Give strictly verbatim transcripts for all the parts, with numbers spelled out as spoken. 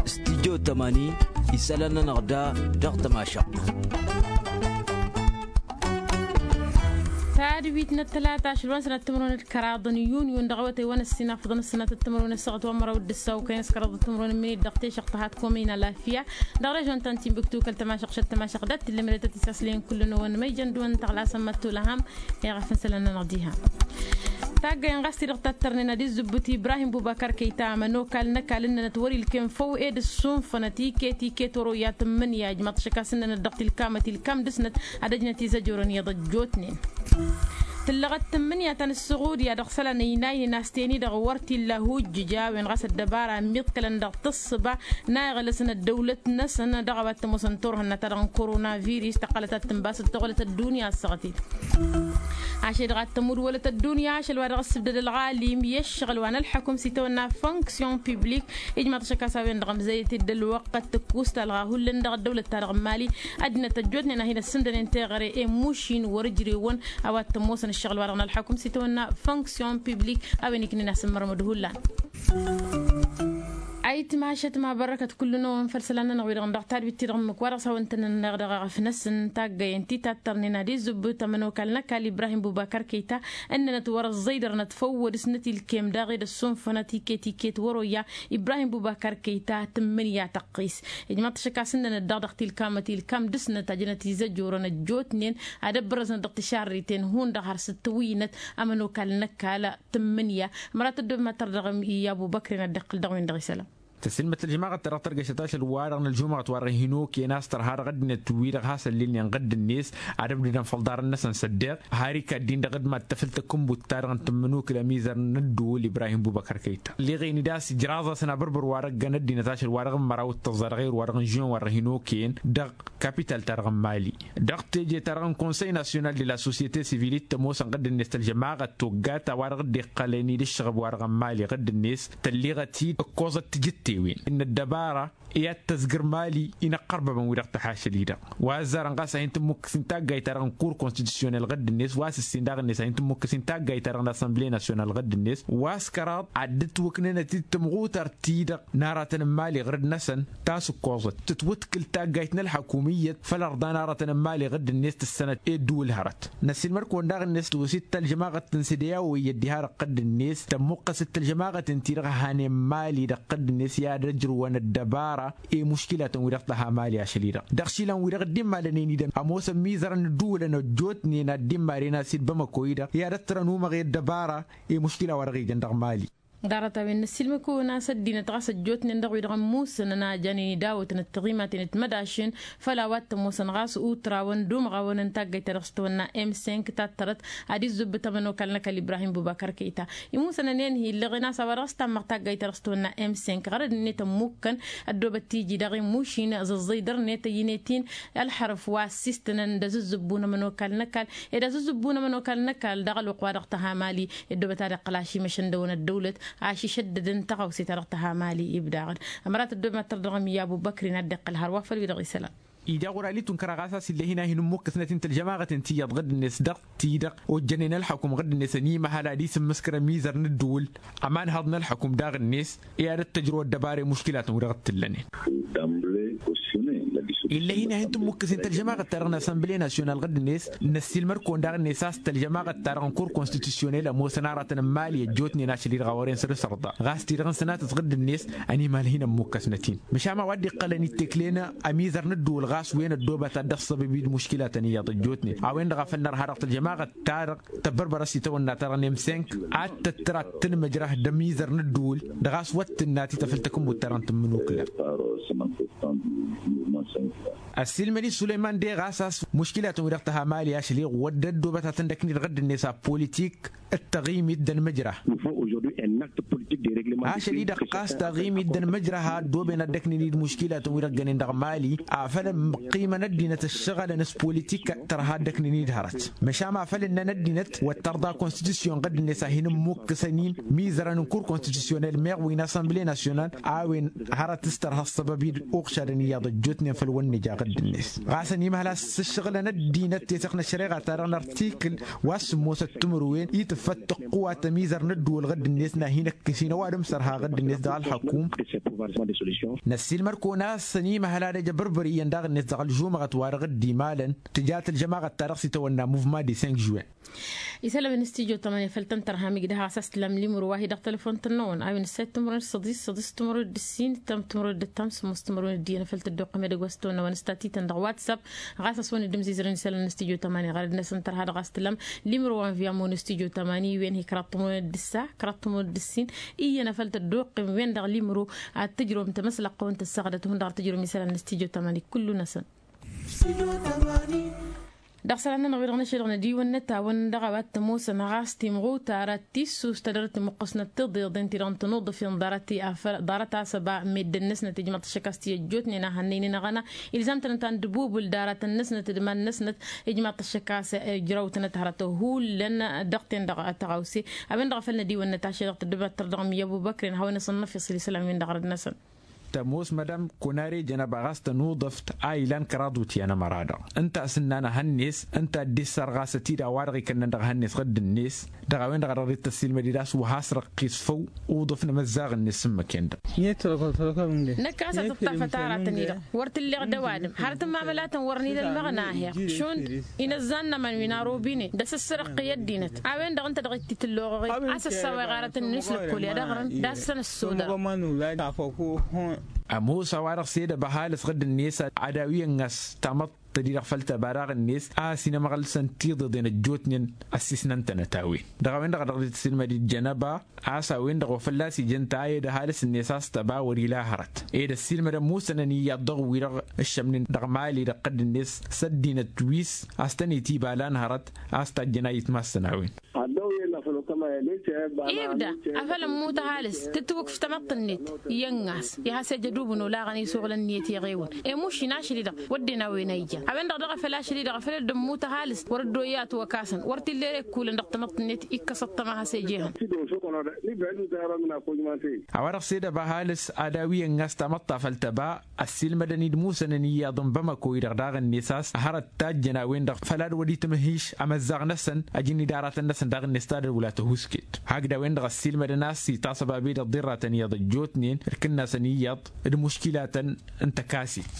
Studyo tămani isălan-nănăɣ da dăɣ-tămašăɣt. Tadwit n-ăttălata ašăl wa n-sănat timărwen d-kăraḍ n-yunyu n-dăɣ-awătay wa n-ăssinafăḍăn ăssinat timărwen ăssaɣăt wa n-măraw d-ăssaw kăyăn s-kăraḍ timărwen n-minit dăɣ-tešăɣt tăhat komin alafya dăɣ-režon ta n-timbuktu kăl-tămašăɣt šăt tămašăɣt d-ad-t-ǝllǝmrătăt isaslen kull-năwăn ma ijăn d-wăn tăɣlasăn măttulăham. Iɣăf n-isălan-nănăɣ diha. Taggăyăn ɣas-ti-dăɣ tattărnen ad-izzǝbbǝt ibrahim bubakar kăyta ămănokal n-ăkall ǝnnănăt wăr-ilkem făw ed ǝssunfănăt iket iket wăr-oyya tǝmmǝnǝya ijmaḍ-t ašăk a-s ǝnnănăt dăɣ-tilkamăt ilkam dăɣ-snăt ad-ăjnăt izăjorăn iyyăḍ ăjjootnen. Tǝllăɣăt tǝmmǝnǝya ta n-ǝssăɣudya dăɣ-isălan ăynaynen a-s ten-i-dăɣ wăr t-illa hujjǝj a-wen ɣas ăddăbara ămmiḍkălăn dăɣ-tǝssǝba n-a iɣlăsăn ăddăwlăt-năsăn dăɣ-a-wa t-ămoosăn turhǝnna ta dăɣ-n koronavirus tăqqălăt ad-tǝnbas d-taɣolăt ăddunya ăssăɣăt-dd. Ašăl-i-dăɣ ad-tămud wălăt ăddunya ašăl-wa-dăɣ ǝssǝbdăd ălɣalim i-ăššăɣǝl wa n-ălḥăkum s-itawănna fonksyon piblik. Ijmaḍ-t ašăk a-s a-wen-dăɣ ămzăyăt-dd ălwăqq ad-tǝkkus talɣa hullan dăɣ-ăddăwlăt-ta-dăɣ n-mali ăddinăt ăjjootnen a hin-ăssǝndănen teɣăre i-mušin wăr-ǝjrewăn a-wa t-ămoosăn ăššăɣǝl-wa-dăɣ n-ălḥăkum s-itawănna fonksyon piblik. A-wen iknen a-s ǝmmărmăd hullan. Ayǝtmašăt ma bărrăkăt kull-năwăn făll-isălan-nănăɣ wi-dăɣ n-dăɣ tadwit-ti-dăɣ ǝmmǝk wa dăɣ-s hawăn-tăn-ănneɣ dăɣ-aɣăf-năsăn n-taggăyen ti tattărnen ad-izzǝbbǝt ămănokal n-ăkall ibrahim bubakar kăyta ǝnnănăt wăr-ăẓẓăydărnăt făw wăr-dăɣ-snăt ilkem daɣ ed ăssunfănăt iket iket wăr-oyya. Ibrahim bubakar kăyta tǝmmǝnǝya tăqqis ijmaḍ-t ašăk a-s ǝnnănăt daɣ dăɣ-tilkamăt ilkam dăɣ-snăt ajnăt izăjorăn ăjjootnen ad-ăbbărăznăt dăɣ-tišarriten hundăɣ har s-ǝttǝwǝynăt. Ămănokal n-ăkall tǝmmǝnǝya ămărat ăddob ma tărdăɣăm i-abubăkrin ad-dd-iqqǝl dăɣ-win-dăɣ isălan. Tăsilmăt ălžămaɣăt-ta-dăɣ tărgăšăt ašăl-wa-dăɣ n-ălžumăɣăt wa dăɣ-hin-okăyăn a-s tărha dăɣ-ăddinăt wi-dăɣ hasăn-lilnen ɣǝdd-net ad-ǝbdǝdăn făll-iḍarăn-năsăn s-ăddeɣ har ikadd-in dăɣ-dd-mad-tafǝl takǝnbut-ta-dăɣ n-tǝmmǝnukǝl ămizăr n-ǝddǝwǝl ibrahim bubăkăr kăyta ălleɣen-dd a-s ijraẓ-asăn abărbăr wa dăɣ-ăgg-ăddinăt ašăl wa dăɣ-n măraw d-tăẓẓa dăɣ-err wa dăɣ-n žuwăn wa dăɣ-hin-okăyăn dăɣ-kapital-ta-dăɣ n-mali. Dăɣ-teje-ta-dăɣ n-konsăy nasyonal de la sosyete sivil i t-ămoosăn ɣǝdd-net tălžămaɣăt toggat a-wa-dăɣ dd-iqqălăn-dd ǝššăɣǝb-wa-dăɣ n-mali ɣǝdd-net tălleɣăt-dd ǝkkoẓăt tijǝttewen n-ăddăbara i-ad-tăzgǝr mali. Inăqqărbăbăn wi-dăɣ tăhašăl-i-dăɣ wa ăzzarăn ɣas a hin-tǝmmukkǝs-in taggayt-ta-dăɣ n-kur konstitusyonel ɣǝdd-net wa s-ǝssin daɣ-net a hin-tǝmmukkǝs-in taggayt-ta-dăɣ n-asănble nasyonal ɣǝdd-net wa s-kăraḍ ad-dd-ǝtwǝknănăt-dd tămɣutart-ti-dăɣ n-aratăn n-mali ɣǝrǝd-năsăn. Ta s-ǝkkoẓăt tǝtwǝtkǝl taggayt n-ălḥăkum iyyăt făll-ărḍa n-aratăn n-mali ɣǝdd-net tǝssănăt i-ǝddǝwǝl hărăt. Năssiilmăd-kăwăn daɣ-net wi s-ittăl jămaɣăt n-sădeyawo iyyăt diha-dăɣ ɣǝdd-net tămmuqqăs-dd tălžămaɣăt ǝnta-i-dăɣ hanen mali dăɣ-ɣǝdd-net i-ad-ăjrǝwăn ăddăbara i-muškilatăn-wi-dăɣ tăha mali ašăl-i-dăɣ dăɣ-išilan-wi-dăɣ dd-immalănen-i-dăn ămoosăn imizărăn n-ǝddǝwǝlăn ăjjootnen ad-dd-immaren a-s i-dd-bamăko-i-dăɣ i-ad-ăttărăn umăɣ i-ăddăbara i-muškila wa dăɣ-ijăn dăɣ-mali. Ḍarăt-a-wen năssiilmăd-kăwăn a-s ăddinăt ɣas ăjjootnen dăɣ-wi-dăɣ ămmusăn ănajănen idawătăn d-tiɣimaten d-timădašen făll-a-wa t-ămoosăn ɣas utrawăn d-umɣawăn n-taggayt-ta-dăɣ s-tawănna m cinq tattărăt ad-izzǝbbǝt ămănokal n-ăkall ibrahim bubakar kăyta. Imusăn ănenhi ǝlleɣen a-s a-wa dăɣ-s tammăɣ taggayt-ta-dăɣ s-tawănna m cinq ɣărăd-net ămmukkăn ăddoobăt tiji daɣ i-mušin ăẓẓăẓẓăydărnet ăyyǝnet-in ălḥărăf wa ăssiistănăn d-azǝzzǝbbu n-ămănokal n-ăkall ed azǝzzǝbbu n-ămănokal n-ăkall dăɣ-ălwăqq wa dăɣ-tăha mali. Ăddoobăt ad-iqqăl ašimăšăn dăɣ-wăn ăddăwlăt ašǝšăddădăn tăɣawse-ta-dăɣ tăha mali ibdaɣ-dd. Ămărat ăddoob mad-tărdăɣăm i-abubăkrin ad-dd-iqqăl hărwa făll-wi-dăɣ isălan. Ija ɣur-ali tunkăr a ɣas a-s illa hin-a hin-ǝmmukǝsnăt-in tălžămaɣăt-in tiyyăḍ ɣǝdd-net dăɣ-ti-dăɣ ojjănen ălḥăkum ɣǝdd-net ănimăhăl ad-isǝmmǝskăr ămizăr n-ǝddǝwǝl ămanhăḍ n-ălḥăkum daɣ-net i-ad-ăttăjrăw ăddăbara i-muškilatăn-wi-dăɣ ǝttǝllănen. Illa hin-a hin-tǝmmukkǝs-in tălžămaɣăt-ta-dăɣ n-asănbǝle nasyonal ɣǝdd-net. Năssiilmăd-kăwăn daɣ-net a-s tălžămaɣăt-ta-dăɣ n-kur konstitusyonel ămoosăn aratăn n-mali ăjjootnen ašăl-i-dăɣ a wăren săr-s ărḍa ɣas ti-dăɣ n-sănatăt ɣǝdd-net. Ănimăhăl hin-ămmukkăsnăt-in măšan a-wa dd-iqqălăn itteklen ămizăr n-ǝddǝwǝl ɣas wen ăddoobăt ad-dd-ăṣṣăbăb-dd muškilatăn iyyăḍ ăjjootnen a-wen-dăɣ a făl nărha dăɣ-tălžămaɣăt-ta-dăɣ tăbbărbărăs itawănna-ta-dăɣ n-emsenk ad-tăttăr ad-tǝlmǝjrăh d-ămizăr n-ǝddǝwǝl. Dăɣ-a-s wăr tǝnna tităfǝl takǝnbut-ta-dăɣ n-tǝmmǝnukǝla. Ăssiilmăd-i sulăyman de ɣas a-s muškilatăn-wi-dăɣ tăha mali ašăl-i wăr dd-ăddoobăt ad-tăn-dd-ăkned ɣǝdd-net a politik d-taɣimit d-ănmǝjrah. Ašăl-i-dăɣ ɣas taɣimit d-ănmǝjrah a ăddooben ad-dd-ăknǝn-dd muškilatăn-wi-dăɣ ǝggănen dăɣ-mali afăl ăqqimăn ăddinăt ăššăɣǝlăn s-politik tărha ad-dd-ăknǝn-dd hărăt. Măšan ma făl ǝnnăn ăddinăt wăr tărḍa konstitusyon ɣǝdd-net a hin-ǝmmukkǝsăn-in mizărăn n-kur konstitusyonel meɣ wi n-asănbǝle nasyonal a-wen hărăt s-tărha ăṣṣăbăb-dd uɣšadăn iyyăḍ ăjjootnen făll-wăn nǝja ɣǝdd-net. Ɣas ănimăhăl a-s ǝššăɣǝlăn ăddinăt tesăɣt n-ăššăreɣa-ta-dăɣ n-artikǝl wa s-sǝmmosăt timǝrwen i-tǝffăt tăqqǝwat ămizăr n-ǝddǝwǝl ɣǝdd-net n-ad-hin-ăkkǝs-in ăwadǝm. Sărha ɣǝdd-net dăɣ-ălxăkum. Năssiilmăr-kăwăn a-s ănimăhăl ad-ăj abărbăr iyyăn daɣ-net dăɣ-ălžumăɣăt wa dăɣ-dd-imalăn tǝjat ălžămaɣăt-ta-dăɣ s-itawănna muvma de cinq juin. Isălan n-studyo tămani făl tăn-tărham igdăh a-s ăstǝlăm limro wa hi-dăɣ tălăfon-tăn-năwăn a-wen ǝssayăt timǝrwen d-săḍis săḍis timǝrwen d-ǝssin tăm timǝrwen d-ăttam sămmos timǝrwen d-iyyăn făl tăddoqqăm edăgg wa s-tăwănna wa n-ǝstatităn dăɣ-whatsapp. Ɣas a-s wăn-dd-ǝmzizărăn isălan n-studyo tămani ɣărăd-năsăn tărha dăɣ-a-s tǝlăm limro wa n-viyamo n-studyo tămani wen hi-kăraḍ timǝrwen d-ǝssa kăraḍ timǝrwen d-ǝssin iyyăn a făl tăddoqqăm wen-dăɣ limro ad-tǝjrǝwăm tamăslăqqa wa n-tǝssăɣdăt hundăɣ ad-tǝjrǝwăm isălan n-studyo tămani kullu-năsăn. Dăɣ-isălan-nănăɣ wi-dăɣ năšăl dăɣ-nădiwăn n-ătawăn dăɣ-a-wa t-ămoosăn ɣas timɣutar ad-tissust ad-dăr-t imǝqqǝsnăt tiḍeḍen-ti-dăɣ n-tănuḍǝf-in ḍarăt-i afăl ḍarăt-as ăba meddǝn-năsnăt ijmaḍ-t ăššăk a-s ti ăjjootnen a hannăynen aɣăna ilzam-tănăt a n-dăbubǝl daratăn-năsnăt d-iman-năsnăt. Ijmaḍ-t ăššăk a-s ǝjrăw-tănăt hărăt hullan dăɣ-ten-dăɣ tăɣawse a-wen-dăɣ a făl nădiwăn-năt ašăl dăɣ-tăddăbat tărdăɣ mi-ăbubăkren hawăn-isănnăf isǝl isălan-wen-dăɣ răd-năsăn. Tămoos madam konare jănăba ɣas tănuḍăft a ilan kăraḍ wutyan ămăra-dăɣ ǝnta a-s ǝnnan ehăn-net ǝnta a dd-issărɣasăt-i dăɣ-a-wa-dăɣ ikănnăn dăɣ-ehăn-net ɣǝdd-net. Dăɣ-a-wen-dăɣ a dăɣ-dd-tăssiilmăd-dd a-s wa has-răqqis făw uḍǝf n-amăzzaɣ-net s-ǝmmǝk-en-dăɣ. Năkk ɣas ad-tǝṭṭafăt aratăn-i-dăɣ wăr t-illeɣ d-ăwadǝm har tǝmmamălatăn wăr n-ila ălmăɣna aheɣ šund. Inăzzan n-aman wi n-arobine d-asǝssărăqqǝy ăddinăt a-wen-dăɣ ǝnta dăɣ-t-tǝlloɣăɣ a-s ăssaweɣ aratăn-net lăkkol i-ad-ăɣrăn d-assăn ăssodăr. Ămoos a-wa-dăɣ s-ed ăba halǝs ɣǝdd-net ad-awi ănn a-s tamăḍt-tădi-dăɣ făll-tăba daɣ-net a ăsinămăɣlǝsăn tiḍeḍen ăjjootnen ăssisnăn-tănăt a-wen dăɣ-a-wen-dăɣ a dăɣ-dd-tǝssilmăd-dd jănăba. A-s a-wen-dăɣ wa fălla-s ijăn ta ed ăhalǝs-net a-s tăba wăr-ila hărăt ed ăssiilmădăn musănăn iyyăḍ dăɣ-wi-dăɣ ǝššămnen dăɣ-mali dăɣ-tădd-net s-ăddinăt wi s-a-s tăn-itiba lan hărăt. A-s tajjăn a itmassăn a-wen. Ibda afăl ămmut ăhalǝs tǝtwǝkf tamăḍt-net i-ănn a-s i-has-ejădubǝn olaɣăn isuɣǝl ǝnniyăt i-eɣewǝn. Emušin ašăl-i-dăɣ wădden a-wen a ija a-wen-dăɣ daɣ a făl ašăl-i-dăɣ a făl dd-ămmut ăhalǝs wăr dd-oyyat wăkasăn wăr t-illa ere ǝkkulăn dăɣ-tamăḍt-net. Ikkăs ăṭṭăma has-ejehăn. A-wa-dăɣ s-ed ăba ăhalǝs ad-awi ănn a-s tamăḍt ta făll-tăba ăssiilmădăn-dd musănăn iyyăḍ n-bamăko-i-dăɣ daɣ-net a-s hărăt tajjăn a-wen-dăɣ făl ad-wăr-itmǝhiš amăzzaɣ-năsăn. Ăjǝnni d-aratăn-năsăn daɣ-net s-ad-ălwǝla tăhuusket hakd a-wen-dăɣ ăssiilmădăn a-s itasăb abed ăḍḍirratăn iyyăḍ ăjjootnen d-kǝnnasăn iyyăḍ d-muškilatăn n-tăkasit.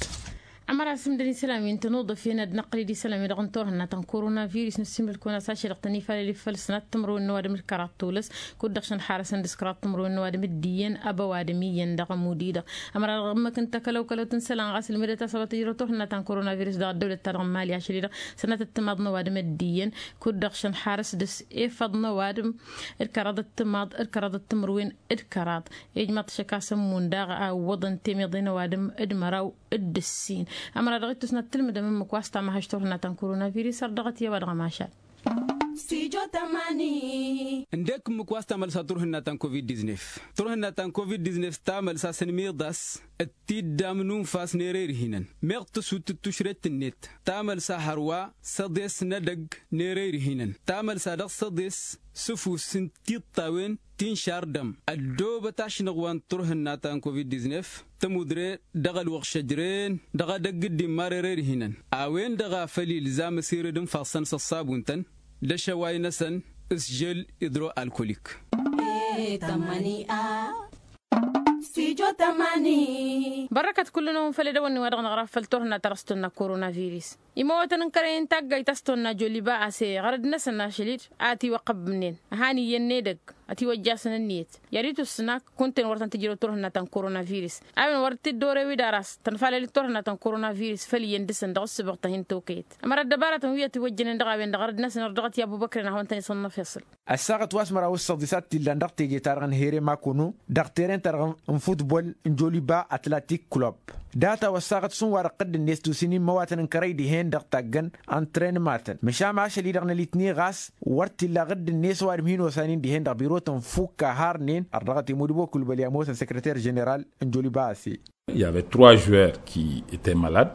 Ămăra s-ǝmdăn isălan wi n-tănuḍăf-en ad-năqqǝl-dd isălan wi-dăɣ n-turhǝnna ta n-korona virus nǝssimǝl-kăwăn a-s ašăl dăɣ-tăn-ifalăl ifăl sănat timǝrwen n-ăwadǝm d-kăraḍ tulǝs kud-dăɣ šăn harăsăn dăɣ-s kăraḍ timǝrwen n-ăwadǝm iyyăn ăba ăwadǝm iyyăn dăɣ-ămudd-i-dăɣ. Ămăra dăɣ-ǝmmǝk n-takălăwkălăwt n-isălan ɣas ǝlmǝdăt a-s a-wa tǝjrăw turhǝnna ta n-korona virus dăɣ-ăddăwlăt-ta-dăɣ n-mali ašăl-i-dăɣ sănatăt timaḍ n-ăwadǝm d-iyyăn kud-dăɣ šăn harăs dăɣ-s efăḍ n-ăwadǝm d-kăraḍăt timaḍ d-kăraḍăt timǝrwen d-kăraḍ. Ijmaḍ-t šăkasăn mundaɣ a ǝwwăḍăn temeḍe n-ăwadǝm d-măraw d-ǝssin. Ămăra dăɣ-ittus n-ad-tǝlmǝdăm ǝmmǝk wa s-tamăhăš turhǝnna ta n-korona virus ar dăɣ-t i-a-wa dăɣ-ămašal. Ǝndek ǝmmǝk wa s-tamălsa turhǝnna ta n-covid-diznef. Turhǝnna ta n-covid-diznef tamălsa s-ănmiḍas d-tiddam n-unfas n-erăyrǝhinăn meɣ tǝsut d-tušret-net tamălsa hărwa săḍes n-edăgg n-erăyrǝhinăn tamălsa dăɣ-săḍes s-ǝfus n-tiṭṭawen ti n-šardăm ăddoobăt ašnăɣ wa n-turhǝnna ta n-covid-diznef. Tămudre dăɣ-ălwăɣ šăjren dăɣ-edăgg dd-immar erăyrǝhinăn a-wen-dăɣ a făl ilzam ăsired n-ifassăn s-ăṣṣabuntăn d-ašăway-năsăn s-žel idro-alkolik. Bărrăkăt kull-năwăn făll-edăwănni wa dăɣ-năɣra făll-turhǝnna ta dăɣ-s tonna korona virus. Imăwătăn n-kărăyăn taggayt a-s tonna joliba a-s e ɣărăd-năsăn ašăl-dd a ătiwăqqăbbnen ăhan iyyăn n-edăgg ătiwăjjasăn ǝnniyăt i-ad-itus s-nak kunta-en wăr tăn-tǝjrăw turhǝnna ta n-korona virus. A-wen wăr t-dd-ore wi d-aras tănfalăl d-turhǝnna ta n-korona virus făll-iyyăn dăɣ-săn dăɣ-ǝssǝbăɣ ta hin-tokăyăt. Ămăra ăddăbaratăn wi ătiwăjjănen dăɣ-a-wen-dăɣ ɣărăd-năsăn ărdăɣăt i-abubăkrăn ad-hawăn-tăn-isănnăfeṣăl. Ăssaɣăt wa s-măraw s-săḍisat t-illan dăɣ-teje-ta-dăɣ n-here makono dăɣ-teren-ta-dăɣ n-futbol n-joliba atlatik club. Data-wa ăssaɣăt šund wa dăɣ-tădd-net tusin immăwatăn n-kărăy dihen-dăɣ taggăn ăntrenmatăn măšan ašăl-i-dăɣ n-alitni ɣas wăr t-illa ɣǝdd-net ăwadǝm hin-osanen dihen-dăɣ birotăn fukk a harnen ărdăɣăt imudǝbo kulbăl i-ămoosăn săkrăter ženeral n-joliba ase.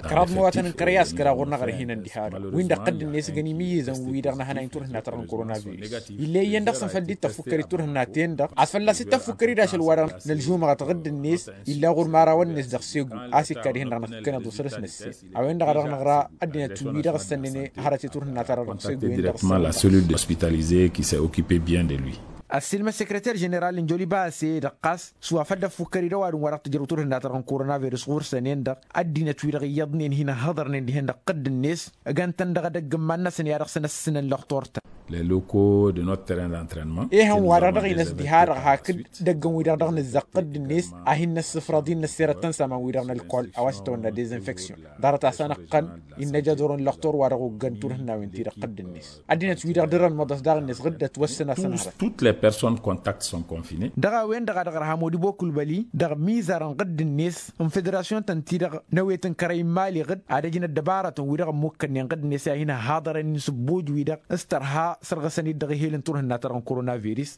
Kăraḍ n-iwatăn n-kărăy a-s kăraḍ ɣur-năɣ ărhinăn diha-dăɣ win-dăɣ tădd-net găn imǝyyǝzăn wi-dăɣ n-ehănay n-turhǝnna-ta-dăɣ n-koronavirus. Ill'-e iyyăn dăɣ-săn făll-dd-tăffukkăr-dd turhǝnna-ten-dăɣ a-s fălla-s ittăffukkăr-dd ašăl-wa-dăɣ n-ălžumăɣăt ɣǝdd-net illa ɣur-imărawăn-net dăɣ-segu a-s ikka dihen-dăɣ năkkănăḍ osărǝs năssen. A-wen-dăɣ a dăɣ-năɣra ăddinăt wi-dăɣ ǝssănnen hărăt i-turhǝnna-ta-dăɣ dăɣ-segu-en-dăɣ. Lasălul ospitalize qui s-a occupé bien de lui. Ăssiilmăd sekreter ženeral n-joliba ase-dăɣ ɣas s-wa făl dd-ăffukkăr-dd ăwadǝm wa dăɣ-tǝjrăw turhǝnna-ta-dăɣ n-korona virus ɣur-săn-en-dăɣ ăddinăt-wi-dăɣ iyyăḍnen hin-ǝhhăḍărnen dihen dăɣ-tǝqqǝd-net ăgg-ăntăn dăɣ-edăgg n-iman-năsăn i-ad-dăɣ-săn ăssǝnăn lăxtur-tăn. Lăloko dănot teren d-antrenman. Ehăn wa-dăɣ dăɣ-inăs diha-dăɣ hakd idăggăn-wi-dăɣ dăɣ-nǝzzăɣ tǝqqǝd-net a hin-năssǝfrăḍ hin-năsserăt tăn-saman-wi-dăɣ n-ălkol a-wa s-itawănna dezinfeksyon. Ḍarăt-asăn ǝqqăn innă jador n-lăxtor wa dăɣ-oggăn turhǝnnawen-ti-dăɣ tǝqqǝd-net. Ăddinăt-wi-dăɣ dăr-ălmăḍăs daɣ-net ɣǝddăt wăssăn-asăn hărăt. Toutes les personnes contacts sont confinés. Dăɣ-a-wen-dăɣ a dăɣ-ărha modibo kulbăli dăɣ-mizar n-ɣǝdd-net n-federasyon-tăn-ti-dăɣ n-ewet n-kărăy n-imali ɣǝdd ad-ăjnăt dăbarătăn-wi-dăɣ ămmukkănnen ɣǝdd-net i-ad-hin-ăhhaḍărăn insǝbbuj-wi-dăɣ s-tărha sărɣǝsăn-dd dăɣ-ehel n-turhǝnna-ta-dăɣ n-korona virus.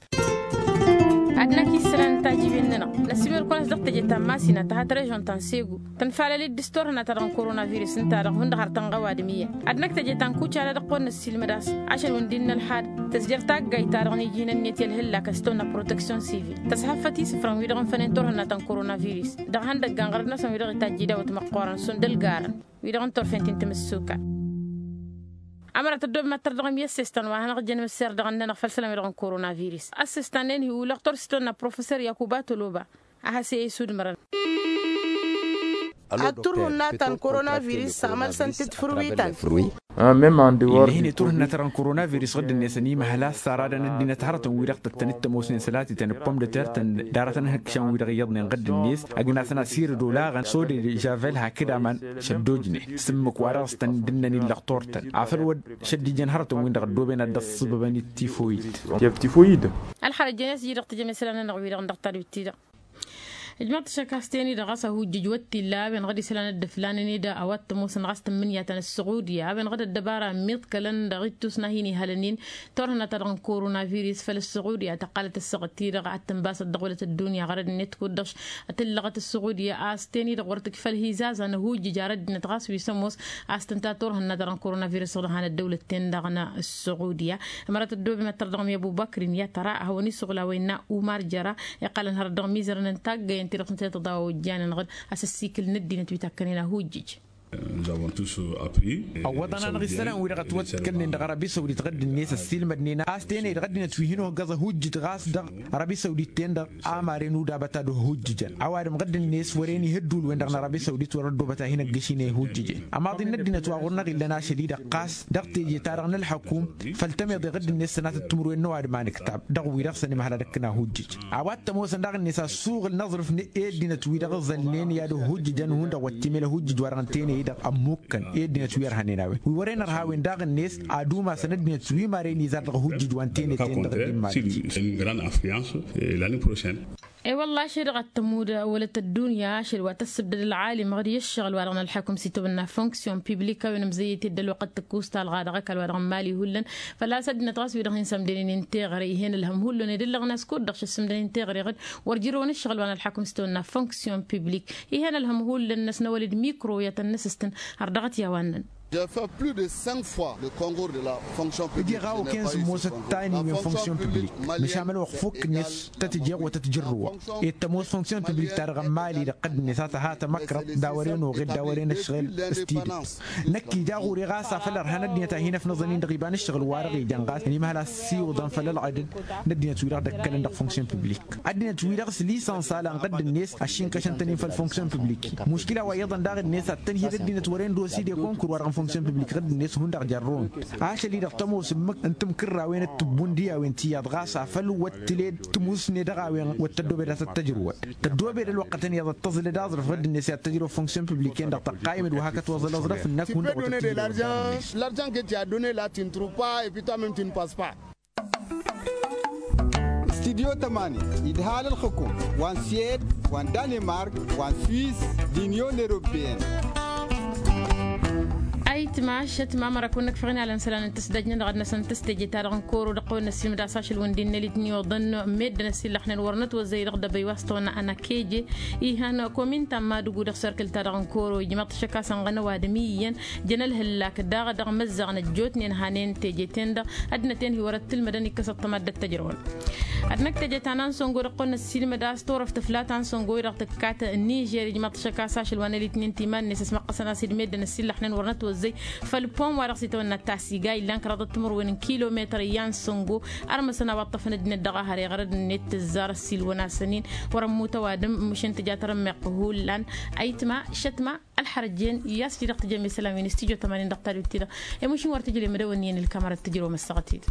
Ad-năkk isălan n-tajiben-nănăɣ năsimăr-kăwăn-as dăɣ-teje ta n-masina ta hat-režon ta n-segu tănfalăl-dd s-turhǝnna-ta-dăɣ n-korona virus ǝnta-dăɣ hundăɣ har tănɣăw adǝm iyyăn. Ad-năkk teje ta n-kucala dăɣ-kăwăn-năssilmăd a-s ašăl wǝndin n-ălxad tăzjăr taggayt-ta-dăɣ n-iji n-ǝnniyăt i-ălhǝllakăn s-tăwănna proteksyon sivil tăshăffăt isǝfrăn-wi-dăɣ n-fănen turhǝnna ta n-korona virus dăɣ-ihăndăggan ɣărăt-năsăn wi-dăɣ itajj idawăt măqqoorăn šund ălgarăn wi-dăɣ n-turfen ti n-timǝssuka. Ămărat ăddoobem ad-tărdăɣăm i-ăssestan wa hanăɣ-ǝjjăn imǝsser dăɣ-ănnănăɣ făll-isălan wi-dăɣ n-korona virus ăssestan-en hi-ulăɣ tursi s-tăwănna professor yakuba toloba. A has-e-isudmărăn. Ad-turhǝnna ta n-korona virus amălsăn-t-dd fărwi ta n-fărwi. Ill'-e hin-e turhǝnna ta dăɣ-n korona virus ɣǝdd-net ănimăhăl a-s saradăn ăddinăt hărătăn-wi-dăɣ tăttăn-dd tămoosnen sălatităn d-pom d-tertăn d-aratăn ihǝkšan-wi-dăɣ iyyăḍnen ɣǝdd-net ăgg-nasăn asirǝd olaɣăn sode javel hakd aman šăddojnen s-ǝmmǝk wa dăɣ-s tăn-dd-ǝnnăn illăɣ turtăn afăl wăr šăddijăn hărătăn-win-dăɣ ăddooben ad-dd-ăṣṣǝbăbăn d-tifoyid. Ălxărăt jen i-s iji-dăɣ tǝjăm isălan-nănăɣ-wi-dăɣ dăɣ-tadwit-ti-dăɣ. Ǝjmăɣ-t ašăk a-s ten-i-dăɣ ɣas ăhujjǝj wăr t-illa a-wen ɣad isălan dd-ǝflanăn-dd a-wa t-ămoosăn ɣas tǝmmǝnǝya ta n-ăssuɣudya a-wen ɣad ăddăbara ămmiḍkălăn dăɣ-ittus n-ad-hin-ihalănnen turhǝnna ta dăɣ-n korona virus făll-ăssuɣudya tăqqalăt ăssaɣăt-ti-dăɣ ad-tǝnbasăt dăɣ-wălăt ăddunya ɣărăd-net kud-dăɣ. Tǝllăɣăt ăssuɣudya a-s ten-i-dăɣ wăr tǝkfăl hizaza n-ăhujjǝj ar ăddinăt ɣas wi s-ămoos a-s tǝnta turhǝnna ta dăɣ-n-korona virus dăɣ-han ăddăwlăt-ten-dăɣ n-ăssuɣudya. Ămărat ăddoobem ad-tărdăɣăm i-ăbubăkrin i-ad-tăra ad-hawăn-isuɣǝl a-wa innă umar jăra iqqălăn hărăt dăɣ-mizărăn n-taggăyăn-ti-dăɣ tǝntăyăt ăḍawa-ojjanăn ɣǝd. Asǝssikǝl n-ăddinăt wi takkănen ăhujjǝj. Ăwwăḍăn-anăɣ isălan-wi-dăɣ ătwăḍkălnen dăɣ-arabi săwdit ɣǝdd-net ăssiilmădnen a-s tenăy-dăɣ ăddinăt wi hin-ohăggăẓ ăhujjǝj ɣas dăɣ-arabi săwdit-ten-dăɣ. Amaren udabăt ad-ohujjǝjăn ăwadǝm ɣǝdd-net wăren ihǝddul-wen-dăɣ n-arabi săwdit wăr-ăddoobăt a hin-ăggǝšin i-ihujjǝjen. Ămaḍi n-ăddinăt wa ɣur-năɣ illăn ašăl-i-dăɣ ɣas dăɣ-teje-ta-dăɣ n-ălḥăkum făll-tămeḍe ɣǝdd-net sănatăt timǝrwen n-ăwadǝm a nǝktab dăɣ-wi-dăɣ s-ănimhăl ad-ăkkǝn ahujjǝj. A-wa t-ămoosăn daɣ-net asuɣǝl n-aẓrǝf n-e ăddinăt wi-dăɣ ǝẓălnen i-ad-ăhujjǝjăn hundăɣ wăr t-imel ăhujjǝj wa dăɣ-n tenăy-dăɣ ămmukkăn i-ăddinăt wi ărhănen a-wen wi wăren ărha a-wen daɣ-net ad-umasăn ăddinăt wi maren izar dăɣ-ăhujjǝj wa n-tenăy-ten-dăɣ ăddinăt. Une grande influence l'année prochaine. E-wălla ašăl-i-dăɣ ad-tămud wălăt ăddunya ašăl wa tăssǝbdăd ălɣalim ɣǝd i-ǝššăɣǝl wa dăɣ-nălḥăkum s-itawănna fonksyon piblik a-wen ǝmzăyyăt-dd ălwăqq d-tǝkkus talɣa dăɣ-ăkall wa dăɣ-n mali hullan. Făl-a-s ăddinăt ɣas wi-dăɣ hin-sămdănen inteɣăre ih'-en ălhăm hullan ed ǝllăɣna s-kud-dăɣ šăssǝmdăn inteɣăre ɣǝd wăr jărrăwăn ǝššăɣǝl wa nălḥăkum s-itawănna fonksyon piblik. Ih'-en ălhăm hullan-năsnăwăl d-mikro i-ad-tăn-nǝsǝstǝn har dăɣ-t i-a-wa ǝnnăn. Ǝjeɣ a-wa kăyăn sǝmmosăt tani wi n-fonksyon piblik măšan mălwăqq fukk-net tăt-ǝjeɣ wa tăt-jărrǝwăɣ. Ed tămoos fonksyon piblik-ta-dăɣ n-mali d-iqqăd-net a tăha tamăkrăḍt d-a wăren oɣed d-a wăren ăšɣel. S-tidǝt năkk ija ɣur-e ɣas afăl ărhan ăddinăt a hin-ăfnăẓăn-in dăɣ-iba n-ǝššăɣǝl-wa-dăɣ ijan ɣas ănimhăl a ăssiwǝḍăn făll-ălɣădăd n-ăddinăt wi-dăɣ dd-ăkkălăn dăɣ-fonksyon piblik. Ăddinăt wi-dăɣ s-lisănsa la n-ɣǝdd-net ăššinkăšăn-tăn-in făll-fonksyon piblik. Muškila wa iyyăḍăn daɣ-net ad-tăn-hi d-ăddinăt wăren dosi d-e-konkur wa dăɣ-n fonksyon piblik ɣǝdd-net hundăɣ jărrăwăn. Ašăl-i-dăɣ tămoos ǝmmǝk n-timkǝrrawen d-tǝbbun d-iyawen tiyyăḍ ɣas afăl wăr t-tǝle d-tǝmusne dăɣ-a-wen wăr tăddobed ad-tăt-tăjrǝwăd. Tăddobed ălwăqqătăn iyyăḍ ad-tăẓlăd aẓrǝf ɣǝdd-net i-ad-tăjrăw fonksyon piblik-en-dăɣ tăqqaymăd wa hakăt wa ăẓăl aẓrǝf ǝnnăk hundăɣ wa tăt-tǝjrǝwăd. L'argent que tu as donné là tu ne trouves pas et puis toi même tu ne passes pas. Studyo tămani idhal ǝlxǝkum wa n-suwed wa n-danemark wa n-suwis d-inyon eropeyăn. Ayǝtma ašăt ma măra kăwăn-năkfăɣ inalăn isălan n-tǝsdăj-nănăɣ ad-năsăn tǝsteje-ta-dăɣ n-kăwăr-o dăɣ-kăwăn-năssimǝd a-s ašăl wǝndin n-elit n-iwăḍăn meddǝn ăsillăxnen wăr nătwăzzăy dăɣ-dăbăy wa s-tăwănna ănăkeje. Ihăn komin ta n-madǝgu dăɣ-serkǝl-ta-dăɣ n-kăwăr-o ijmăḍ-t ašăk a-s ănɣănăw adǝm iyyăn jăn ălhǝllak daɣ dăɣ-imăzzaɣ n-ăjjootnen hanen teje-ten-dăɣ. Ăddinăt-en hi-wăr-ăttǝlmădăn ikkăs ăṭṭăma dd-ăttăjrăwăn. Ad-năkk teje ta n-ansongo dăɣ-tăwănna s-silmăd a-s torăft flat ansongo-i-dăɣ tǝkkat nižer ijmăḍ-t šăkk a-s ašăl wa n-elitnin timan-net s-măqqăsăn a-s idmedden ăsillăxnen wăr nătwăzzăy făll-pom wa dăɣ-s itawănna tasiga illan kăraḍăt timǝrwen n-kilometăr i-ansongo. Ărmăsăn a-wa ǝṭṭăfăn ăddinăt dăɣ-ahăr iɣrăd-net tǝzzar ăssiilwăn-asăn-in wăr-ămmut ăwadǝm măšan tǝja tărămmeɣt hullan. Ayǝtma šătma ălxărăjjen i-a-s ji-dăɣ tǝjăm isălan wi n-studyo tămanin dăɣ-tadut-ti-dăɣ. Emušin wăr tǝjǝl i-mădăwăn iyyăn ǝlkămărăt tǝjrăwăm ăssaɣăt-dd.